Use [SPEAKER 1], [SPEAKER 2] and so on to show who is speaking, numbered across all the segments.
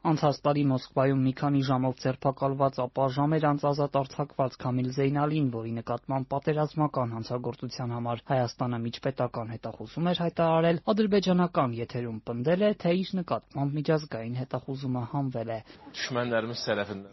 [SPEAKER 1] Անցած տարի Մոսկվայում մի քանի ժամով ձերբակալված, ապա ժամեր անց ազատ արձակված Քամիլ Զեյնալին, որի նկատմամբ պատերազմական հանցագործության համար Հայաստանը միջպետական հետախուզում էր հայտարարել, ադրբեջանական եթերում պնդել է, թե իր նկատմամբ միջազգային հետախուզումը հանվել է։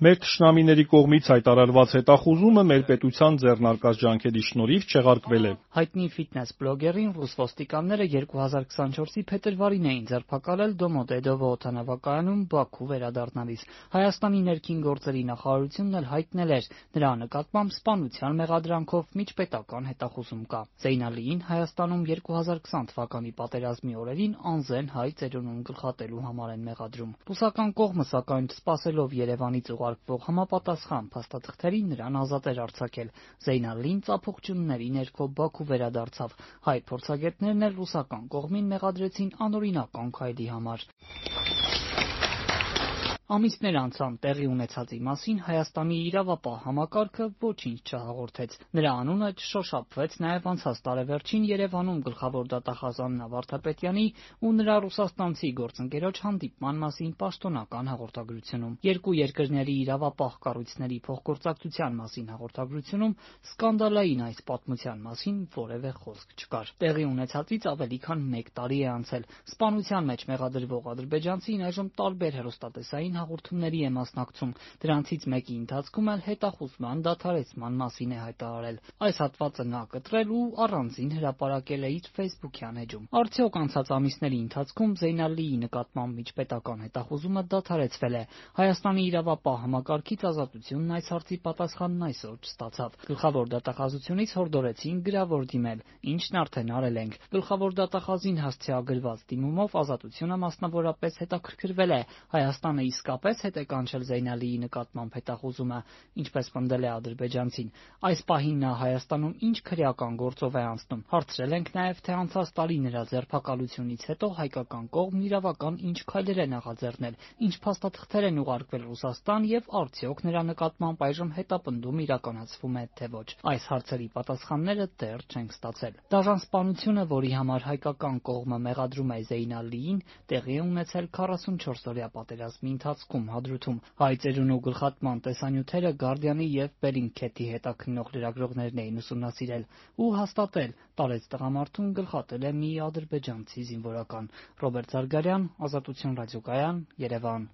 [SPEAKER 2] Մեր թշնամիների կողմից հայտարարված հետախուզումը մեր պետության ձեռնարկած ջանքերի շնորհիվ չեղարկվել է։
[SPEAKER 1] Հայտնի ֆիթնես բլոգերին ռուս ոստիկանները 2024-ի փետրվարին էին ձերբակալել Դոմոդեդովո օդանավակայանում Բաքու վերադառնալիս։ Հայաստանի ներքին գործերի նախարարությունն էլ հայտնել էր, նրա նկատմամբ սպանության մեղադրանքով միջպետական հետախուզում կա։ Զեյնալիին Հայաստանում 2020 թվականի պատերազմի օրերին անզեն հայ ծերունուն գլխատելու համար են մեղադրում։ Ռուսական կողմը, սակայն, սպասելով Երևանից ուղարկվող համապատասխան փաստաթղթերին, նրան ազատ էր արձակել։ Զեյնալին ծափողջունների ներքո Բաքու վերադարձավ։ Հայ փորձագետներն էլ ռուսական կողմին մեղադրեցին անօրինական քայլի համար։ Ամիսներ անցան տեղի ունեցածի մասին Հայաստանի իրավապահ համակարգը ոչինչ չհաղորդեց։ Նրա անունը չշոշափվեց նաև անցած տարեվերջին Երևանում գլխավոր դատախազ Աննա Վարդապետյանի ու նրա ռուսաստանցի գործընկերոջ հանդիպման մասին պաշտոնական հաղորդագրությունում։ Երկու երկրների իրավապահ կառույցների փոխգործակցության մասին հաղորդագրությունում սկանդալային այս պատմության մասին որևէ խոսք չկար։ Տեղի ունեցածից ավելի քան 1 տարի է անցել։ Սպանության մեջ մեղադրվող ադրբեջանցին այժմ տարբեր հեռուստատեսային հաղորդումների է մասնակցում, դրանցից մեկի ընթացքում էլ հետախուզման դադարեցման մասին է հայտարարել։ Այս հատվածը նա կտրել ու առանձին հրապարակել է իր Facebook-յան էջում։ Արդյոք անցած ամիսների ընթացքում Զեյնալիի նկատմամբ միջպետական հետախուզումը դադարեցվել է։ Հայաստանի իրավապահ համակարգից Ազատությունն այս հարցի պատասխանն այսօր չստացավ։ Գլխավոր դատախազությունից հորդորեցին գրավոր դիմել, ինչն արդեն արել ենք։ Գլխավոր դատախազին հասցեագրված դիմումով Ազատությունը մասնավորապես հետաքրքրվել է Հայաստանը իսկապես հետ է կանչել Զեյնալիի նկատմամբ հետախուզումը, ինչպես պնդել է ադրբեջանցին։ Այս պահին նա Հայաստանում ինչ քրեական գործով է անցնում։ Հարցրել ենք նաև, թե անցած տարի նրա ձերբակալությունից հետո հայկական կողմն իրավական ինչ քայլեր է նախաձեռնել, ինչ փաստաթղթեր են ուղարկվել Ռուսաստան եւ արդյոք նրա նկատմամբ այժմ հետապնդում իրականացվում է թե ոչ։ Այս հարցերի պատասխանները դեռ չենք ստացել։ Դաժան սպանությունը, որի համար հայկական կողմը մեղադրում է Զեյնալիին, տեղի է ունեցել 44-օրյա պատերազմի ընթացքում Հադրութում։ Հայ ծերունու գլխատման տեսանյութերը Guardian-ի եւ Bellingcat-ի հետաքննող լրագրողներն էին ուսումնասիրել ու հաստատել՝ տարեց տղամարդուն գլխատել է մի ադրբեջանցի զինվորական։ Ռոբերտ Զարգարյան, Ազատություն ռադիոկայան, Երևան։